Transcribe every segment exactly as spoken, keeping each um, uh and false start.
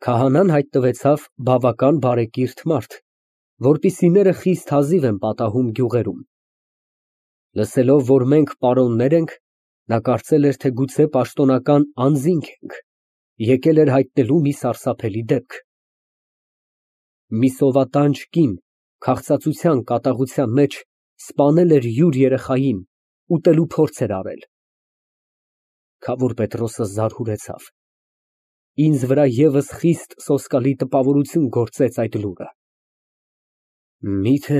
Քահանան հայտնվեցավ բավական բարեկիրթ մարդ, որպիսիները խիստ հազիվ են պատահում գյուղերում. լսելով, որ մենք պարոններ ենք, նա կարծել էր, թե գուցե պաշտոնական անձինք ենք, եկել էր հայտնելու մի սարսափելի դեպք։ Մի սովատանչ կին քաղցածության կատաղության մեջ սպանել էր յուր երեխային, ուտելու փորձ էր արել։ Քավոր Պետրոսը զարհուրեցավ։ Ինձ վրա ևս խիստ սոսկալի տպավորություն գործեց այդ լուրը։ Մի՞թե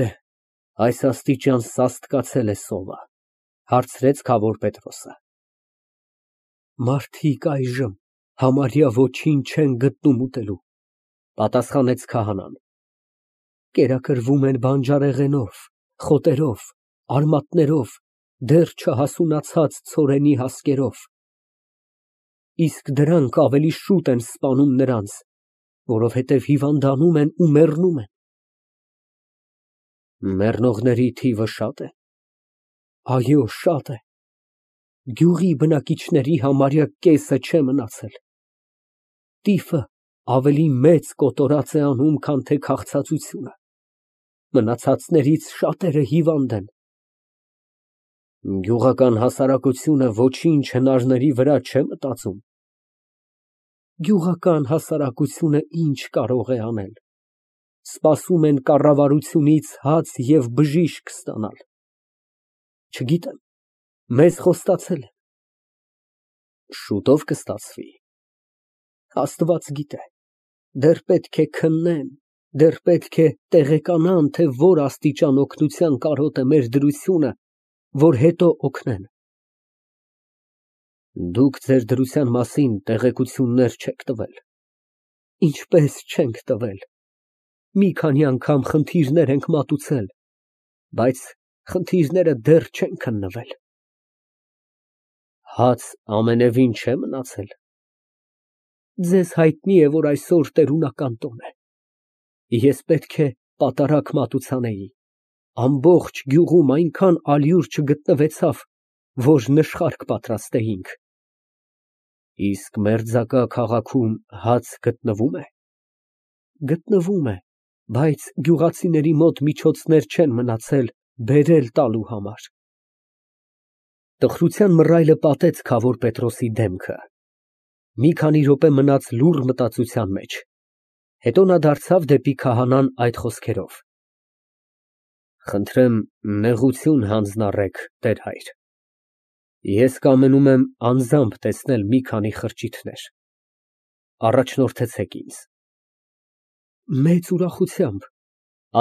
այս աստիճան սաստկացել է սովը, հարցրեց քավոր Պետրոսը։ Մարդիկ այժմ համարյա ոչինչ չեն գտնում ուտելու, պատասխանեց քահանան։ Կերակրվում են բանջարեղենով, խոտերով, արմատներով, դեռ չհասունացած ցորենի հասկերով։ Իսկ դրանք ավելի շուտ են սպանում նրանց, որովհետև հիվանդանում են ու մեռնում են։ Մեռնողների թիվը շա՞տ է։ Այո, շատ է։ Գյուղի բնակիչների համարյա կեսը չէ մնացել։ Տիֆը ավելի մեծ կոտորած է անում, քան թե քաղցածությունը։ Մնացածներից շատերը հիվանդ են։ Գյուղական հասարակությունը ոչինչ հնարների վրա չէ մտածում։ Գյուղական հասարակությունը ինչ կարող է անել։ Սպասում են կառավարությունից հաց և բժիշկ ստանալ։ Չգիտեմ, մեզ խոստացել են։ Շուտով կստացվի։ Աստված գիտե, դեռ պետք է քննեն, դեռ պետք է տեղեկանան, թե որ աստիճան օգնության կարոտ է մեր դրությունը, որ հետո օգնեն։ Դուք ձեր դրության մասին տեղեկություններ չեք տվել։ Ինչպես չենք տվել։ Մի քանի անգամ խնդիրներ ենք մատուցել, բայց խնդիրները դեռ չեն քննվել։ Հաց ամենևին չէ մնացել։ Ձեզ հայտնի է, որ այսօր տերունական տոն է։ Ես պետք է պատարագ մատուցանեի։ Ամբողջ գյուղում այնքան ալյուր չգտնվեցավ, որ նշխարք պատրաստեինք։ Իսկ մերձակա քաղաքում հաց գտնվո՞ւմ է։ Գտնվում է, բայց գյուղացիների մոտ միջոցներ չեն մնացել բերել տալու համար։ Տխրության մռայլը պատեց քավոր Պետրոսի դեմքը։ Մի քանի րոպե մնաց լուռ մտածության մեջ, հետո նա դարձավ դեպի քահանան այդ խոսքերով. Խնդրեմ, նեղություն հանձնառեք, տեր հայր։ Ես կամենում եմ անձամբ տեսնել մի քանի խրճիթներ։ Առաջնորդեցեք ինձ։ Մեծ ուրախությամբ,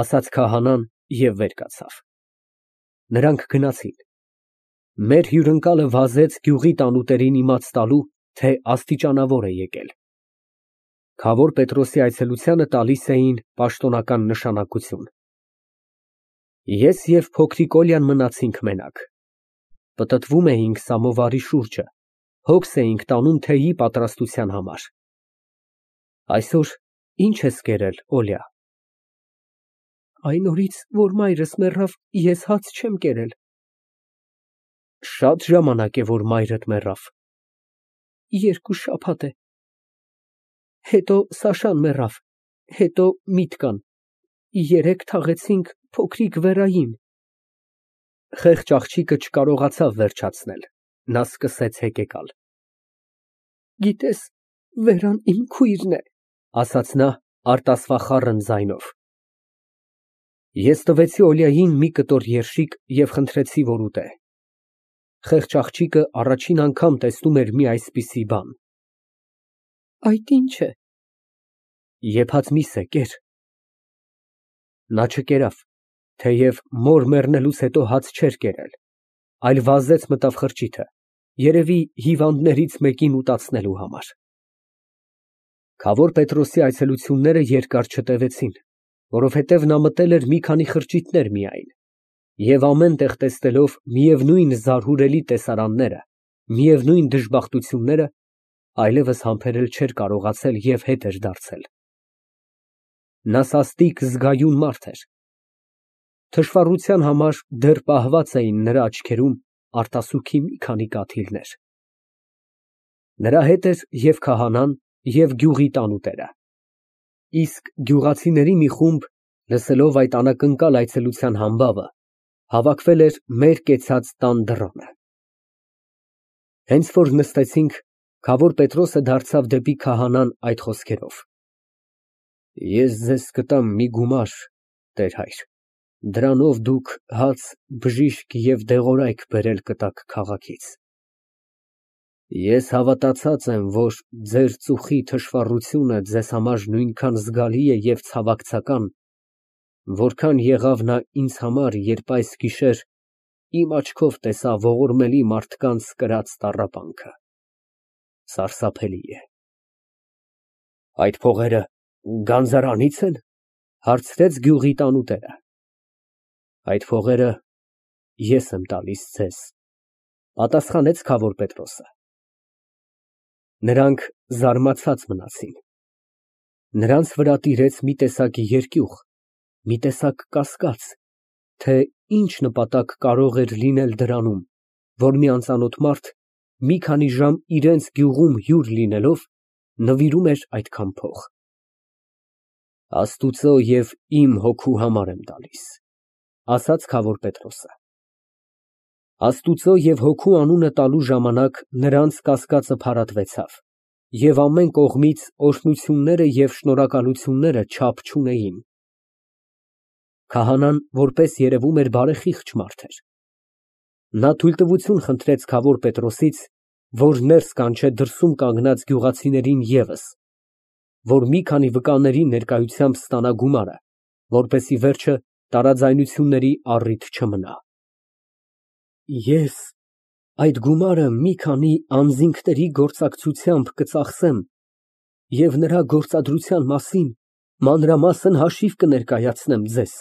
ասաց քահանան և վեր կացավ։ Նրանք գնացին։ Մեր հյուրընկալը վազեց գյուղի տանուտերին իմաց տալու, թե աստիճանավոր է եկել։ Քավոր Պետրոսի այցելությանը տալիս էին պաշտոնական նշանակություն։ Ես և փոքրիկ Օլյան մնացինք մենակ։ Պտտվում էինք սամովարի շուրջը, հոգս էինք տանում թեյի պատրաստության համար։ Այսօր ի՞նչ ես կերել, Օլյա։ Այն օրից, որ մայրս մեռավ, ես հաց չեմ կերել։ Շատ ժամանակ է, որ մայրդ մեռավ։ Երկու շաբաթ է։ Հետո Սաշան մեռավ, հետո Միտկան, երեկ թաղեցինք փոքրիկ Վերային։ Խեղճ աղջիկը չկարողացավ վերջացնել, նա սկսեց հեկեկալ։ Գիտես, Վերան իմ քույրն է, ասաց նա արտասվախառն ձայնով։ Ես տվեցի Օլիային մի կտոր երշիկ և խնդրեցի, որ ուտե։ Խեղճ աղջիկը առաջին անգամ տեսնում էր մի այսպիսի բան։ Այդ ի՞նչ է։ Եփած միս է, կեր։ Նա չկերավ, թեև մոր մեռնելուց հետո հաց չէր կերել, այլ վազեց մտավ խրճիթը, երևի հիվանդներից մեկին ուտացնելու համար։ Քավոր Պետրոսի այցելությունները երկար չտևեցին, որովհետև նա մտել էր մի քանի խրճիթներ միայն, և ամեն տեղ տեսնելով միևնույն զարհուրելի տեսարանները, միևնույն դժբախտությունները, այլևս համբերել չէր կարողացել և հետ էր դարձել։ Նա սաստիկ զգայուն մարդ էր։ Թշվառության համար դեռ պահված էին նրա աչքերում արտասուքի մի քանի կաթիլներ։ Նրա հետ էր և քահանան, և գյուղի տանուտերը։ Իսկ գյուղացիների մի խումբ, լսելով այդ անակնկալ այցելության համբավը, հավաքվել էր մեր կեցած տան դռանը։ Հենց որ նստեցինք, քավոր Պետրոսը դարձավ դեպի քահանան այդ խոսքերով. Ես ձեզ կտամ մի գումար, տեր֊հայր, դրանով դուք հաց, բժիշկ և դեղորայք բերել կտաք քաղաքից։ Ես հավատացած եմ, որ ձեր ծուխի թշվառությունը ձեզ համար նույնքան զգալի է և ցավակցական, որքան եղավ նա ինձ համար, երբ այս գիշեր իմ աչքով տեսա ողորմելի մարդկանց կրած տառապանքը, սարսափելի է։ Այդ փողերը գանձարանի՞ց են, հարցրեց գյուղի տանուտերը։ Այդ փողերը ես եմ տալիս ձեզ, պատասխանեց քավոր Պետրոսը։ Նրանք զարմացած մնացին։ Նրանց վրա տիրեց մի տեսակ երկյուղ, մի տեսակ կասկած, թե ինչ նպատակ կարող էր լինել դրանում, որ մի անծանոթ մարդ, մի քանի ժամ իրենց գյուղում հյուր լինելով, նվիրում էր այդքան փող։ Աստուծո և իմ հոգու համար եմ տալիս, ասաց քավոր Պետրոսը։ Աստուծո և հոգու անունը տալու ժամանակ նրանց կասկածը փարատվեցավ, և ամեն կողմից օրհնությունները և շնորհակալությունները չափ չունեին։ Քահանան, որպես երևում էր, բարեխիղճ մարդ էր։ Նա թույլտվություն խնդրեց քավոր Պետրոսից, որ ներս կանչե դրսում կանգնած գյուղացիներին ևս, որ մի քանի վկաների ներկայությամբ ստանա գումարը, որպեսզի վերջը տարաձայնությունների առիթ չմնա։ Ես այդ գումարը մի քանի անձինքների գործակցությամբ կծախսեմ և նրա գործադրության մասին մանրամասն հաշիվ կներկայացնեմ ձեզ։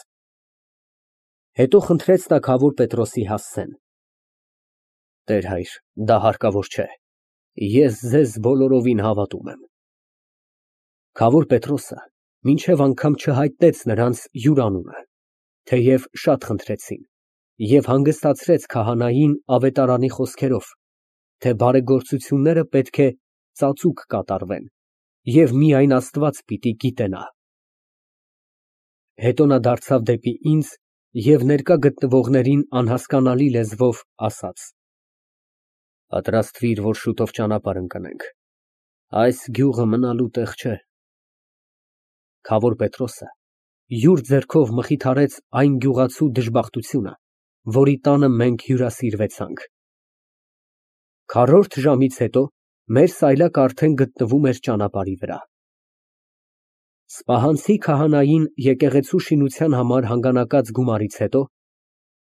Հետո խնդրեց նա քավոր Պետրոսի հասցեն։ Տեր֊հայր, դա հարկավոր չէ, ես ձեզ բոլորովին հավատում եմ։ Քավոր Պետրոսը մինչև անգամ չհայտնեց նրանց յուր անունը, թեև շատ խնդրեցին, և հանգստացրեց քահանային ավետարանի խոսքերով, թե բարեգործությունները պետք է ծածուկ կատարվեն, և միայն Աստված պիտի գիտենա։ Հետո նա դարձավ դեպի ինձ և ներկա գտնվողներին անհասկանալի լեզվով ասաց. Պատրաստվիր, որ շուտով ճանապարհ ընկնենք, այս գյուղը մնալու տեղ չէ։ Քավոր Պետրոսը յուր ձեռքով մխիթարեց այն գյուղացու դժբախտությունը, որի տանը մենք հյուրասիրվեցանք։ Քառորդ ժամից հետո մեր սայլակը արդեն գտնվում էր ճանապարհի վրա։ Սպահանցի քահանային եկեղեցու շինության համար հանգանակած գումարից հետո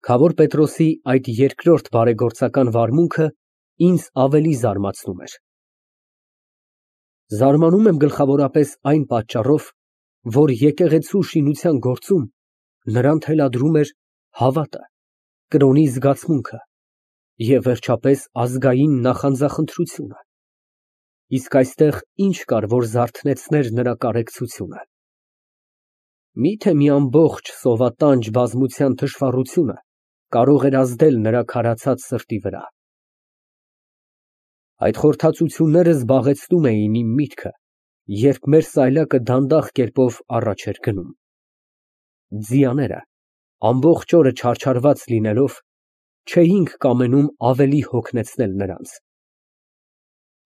քավոր Պետրոսի այդ երկրորդ բարեգործական վարմունքը ինձ ավելի զարմացնում էր։ Զարմանում եմ գլխավորապես այն պատճառով, որ եկեղեցու շինության գործում նրան թելադրում էր հավատը, կրոնի զգացմունքը և վերջապես ազգային նախանձախնդրությունը, իսկ այստեղ ինչ կար, որ զարթնեցներ նրա կարեկցությունը։ Մի՞թե մի ամբողջ սովատանջ բազմության թշվառությունը կարող էր ազդել նրա քարացած սրտի վրա։ Այդ խորհրդածությունները զբաղեցնում էին իմ միտքը, երբ մեր սայլակը դանդաղ կերպով առաջ էր գնում։ Ձիաները, ամբողջ օրը չարչարված լինելով, չէինք կամենում ավելի հոգնեցնել նրանց։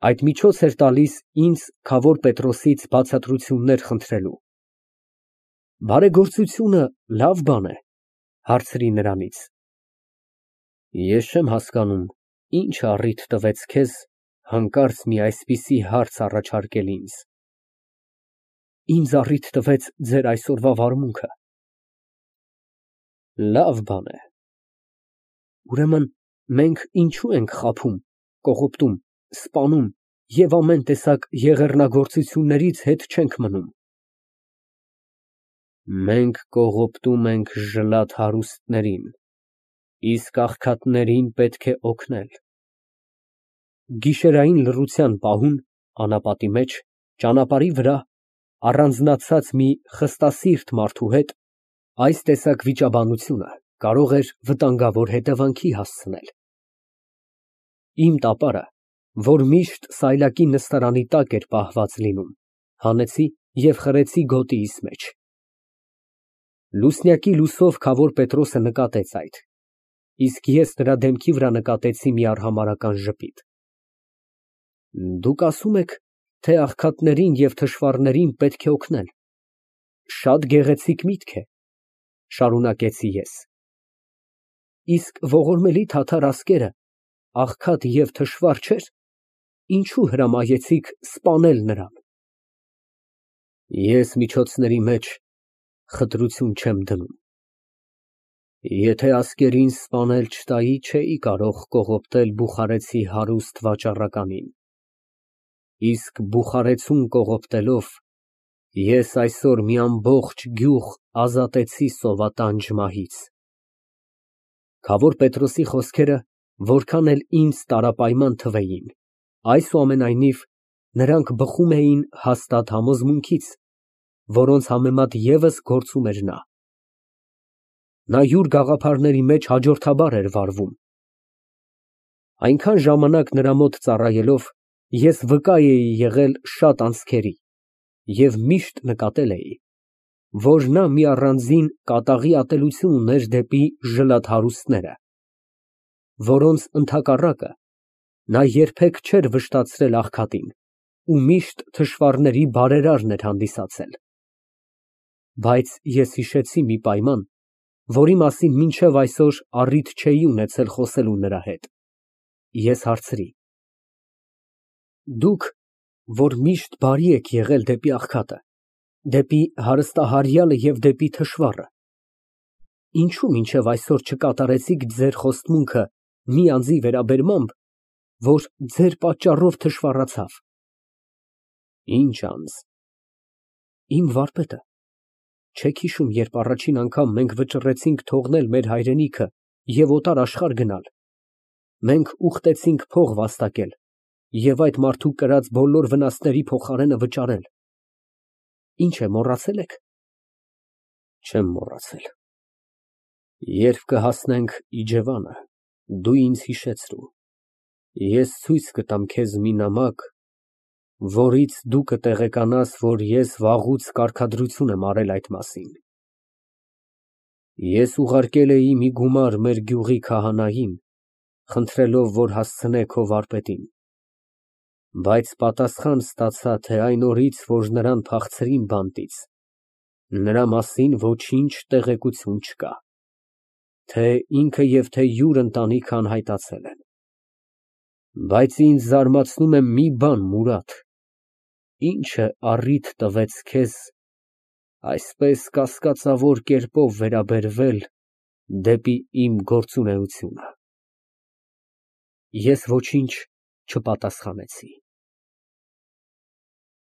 Այդ միջոց էր տալիս ինձ քավոր Պետրոսից բացատրություններ խնդրելու։ Բարեգործությունը լավ բան է, հարցրի նրանից։ Ես չեմ հասկանում, ինչ առիթ տվեց քեզ հանկարծ մի այսպիսի հարց առաջարկել ինձ։ Ինձ առիթ տվեց ձեր այսօրվա վարմունքը։ Լավ բան է։ Ուրեմն մենք ինչո՞ւ ենք խաբում, կողոպտում, սպանում և ամեն տեսակ եղեռնագործություններից հետ չենք մնում։ Մենք կողոպտում ենք ժլատ հարուստներին, իսկ աղքատներին պետք է օգնել։ Գիշերային լռության պահուն, անապատի մեջ, ճանապարհի վրա, առանձնացած մի խստասիրտ մարդու հետ այս տեսակ վիճաբանությունը կարող էր վտանգավոր հետևանքի հասցնել։ Իմ տապարը, որ միշտ սայլակի նստարանի տակ էր պահված լինում, հանեցի և խրեցի գոտիիս մեջ։ Լուսնյակի լուսով քավոր Պետրոսը նկատեց այդ, իսկ ես նրա դեմքի վրա նկատեցի մի արհամարհական ժպիտ։ Դուք ասում եք, թե աղքատներին և թշվառներին պետք է օգնել, շատ գեղեցիկ միտք է, շարունակեցի ես, իսկ ողորմելի թաթար ասկերը աղքատ և թշվառ չէր, ինչու հրամայեցիք սպանել նրան։ Ես միջոցների մեջ խտրություն չեմ դնում։ Եթե ասկերին սպանել չտայի, չէի կարող կողոպտել բուխարեցի հարուստ վաճառականին, իսկ բուխարեցուն կողոպտելով ես այսօր մի ամբողջ գյուղ ազատեցի սովատանջ մահից։ Քավոր Պետրոսի խոսքերը որքան էլ ինձ տարապայման թվեին, այսուամենայնիվ նրանք բխում էին հաստատ համոզմունքից, որոնց համեմատ ևս գործում էր նա։ Նա յուր գաղափարների մեջ հաջորդաբար էր վարվում։ Այնքան ժամանակ նրա մոտ ծառայելով, ես վկա էի եղել շատ անցքերի և միշտ նկատել էի, որ նա մի առանձին կատաղի ատելություն ուներ դեպի ժլաթ֊հարուստները, որոնց ընդհակառակը նա երբեք չէր վշտացրել աղքատին ու միշտ թշվառների բարերարն էր հանդիսացել։ Բայց ես հիշեցի մի պայման, որի մասին մինչև այսօր առիթ չէի ունեցել խոսելու նրա հետ։ Ես հարցրի. Դուք, որ միշտ բարի եք եղել դեպի աղքատը, դեպի հարստահարյալը և դեպի թշվառը, ինչո՞ւ մինչև այսօր չկատարեցիք ձեր խոստմունքը մի անձի վերաբերմամբ, որ ձեր պատճառով թշվառացավ։ Ինչ անձ։ Իմ վարպետը։ Չեք հիշում, երբ առաջին անգամ մենք վճռեցինք թողնել մեր հայրենիքը և օտար աշխարհ գնալ, մենք ուխտեցինք փող վաստակել և այդ մարդու կրած բոլոր վնասների փոխարենը վճարել։ Ինչ է, մոռացել եք։ Չեմ մոռացել։ Երբ կհասնենք իջևանը, դու ինձ հիշեցրու, ես ցույց կտամ քեզ մի նամակ, որից դու կտեղեկանաս, որ ես վաղուց կարգադրություն եմ արել այդ մասին։ Ես ուղարկել էի մի գումար մեր գյուղի քահանային, խնդրելով, որ հասցնե քո վարպետին, բայց պատասխան ստացա, թե այն օրից, որ նրան փախցրին բանտից, նրա մասին ոչինչ տեղեկություն չկա, թե ինքը և թե յուր ընտանիքը անհայտացել են։ Բայց ինձ զարմացնում է մի բան, Մուրադ, ի՞նչը առիթ տվեց քեզ այսպես կասկածավոր կերպով վերաբերվել դեպի իմ գործունեությունը։ Ես ոչինչ չպատասխանեցի։